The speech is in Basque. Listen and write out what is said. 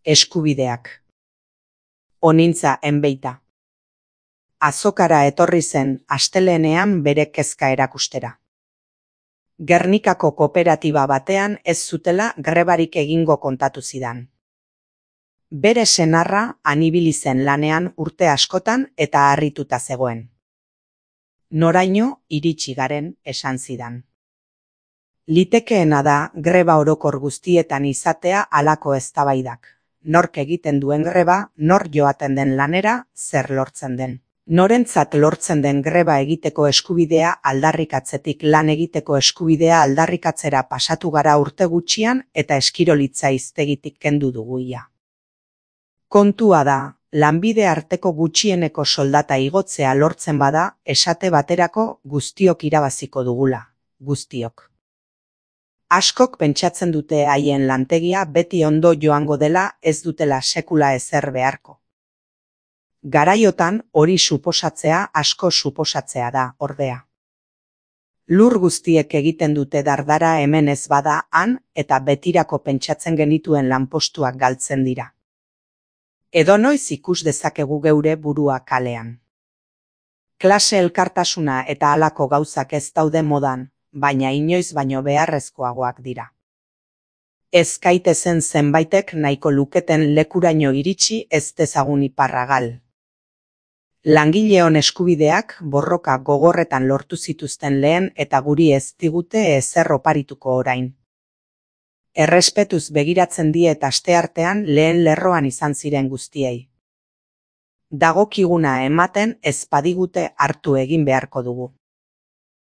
Eskubideak. Onintza enbeita. Azokara etorri zen astelehenean bere kezka erakustera. Gernikako kooperatiba batean ez zutela grebarik egingo kontatu zidan. Bere senarra han ibili zen lanean urte askotan eta harrituta zegoen. Noraino iritsi garen esan zidan. Litekeena da greba orokor guztietan izatea halako eztabaidak. Nork egiten duen greba, nor joaten den lanera, zer lortzen den. Norentzat lortzen den greba egiteko eskubidea aldarrikatzetik lan egiteko eskubidea aldarrikatzera pasatu gara urte gutxian eta eskirolitza hiztegitik kendu dugu ia. Kontua da, lanbide arteko gutxieneko soldata igotzea lortzen bada, esate baterako guztiok irabaziko dugula, guztiok. Askok pentsatzen dute haien lantegia beti ondo joango dela ez dutela sekula ezer beharko. Garaiotan hori suposatzea asko suposatzea da, ordea. Lur guztiek egiten dute dardara hemen ez bada han eta betirako pentsatzen genituen lanpostuak galtzen dira. Edonoiz ikus dezakegu geure burua kalean. Klase elkartasuna eta halako gauzak ez daude modan, baina inoiz baino beharrezkoagoak dira. Ez gaitezen zenbaitek nahiko luketen lekuraino iritsi ez dezagun iparragal. Langileon eskubideak borroka gogorretan lortu zituzten lehen eta guri ez digute ezer oparituko orain. Errespetuz begiratzen diet asteartean lehen lerroan izan ziren guztiei. Dagokiguna ematen ez badigute hartu egin beharko dugu.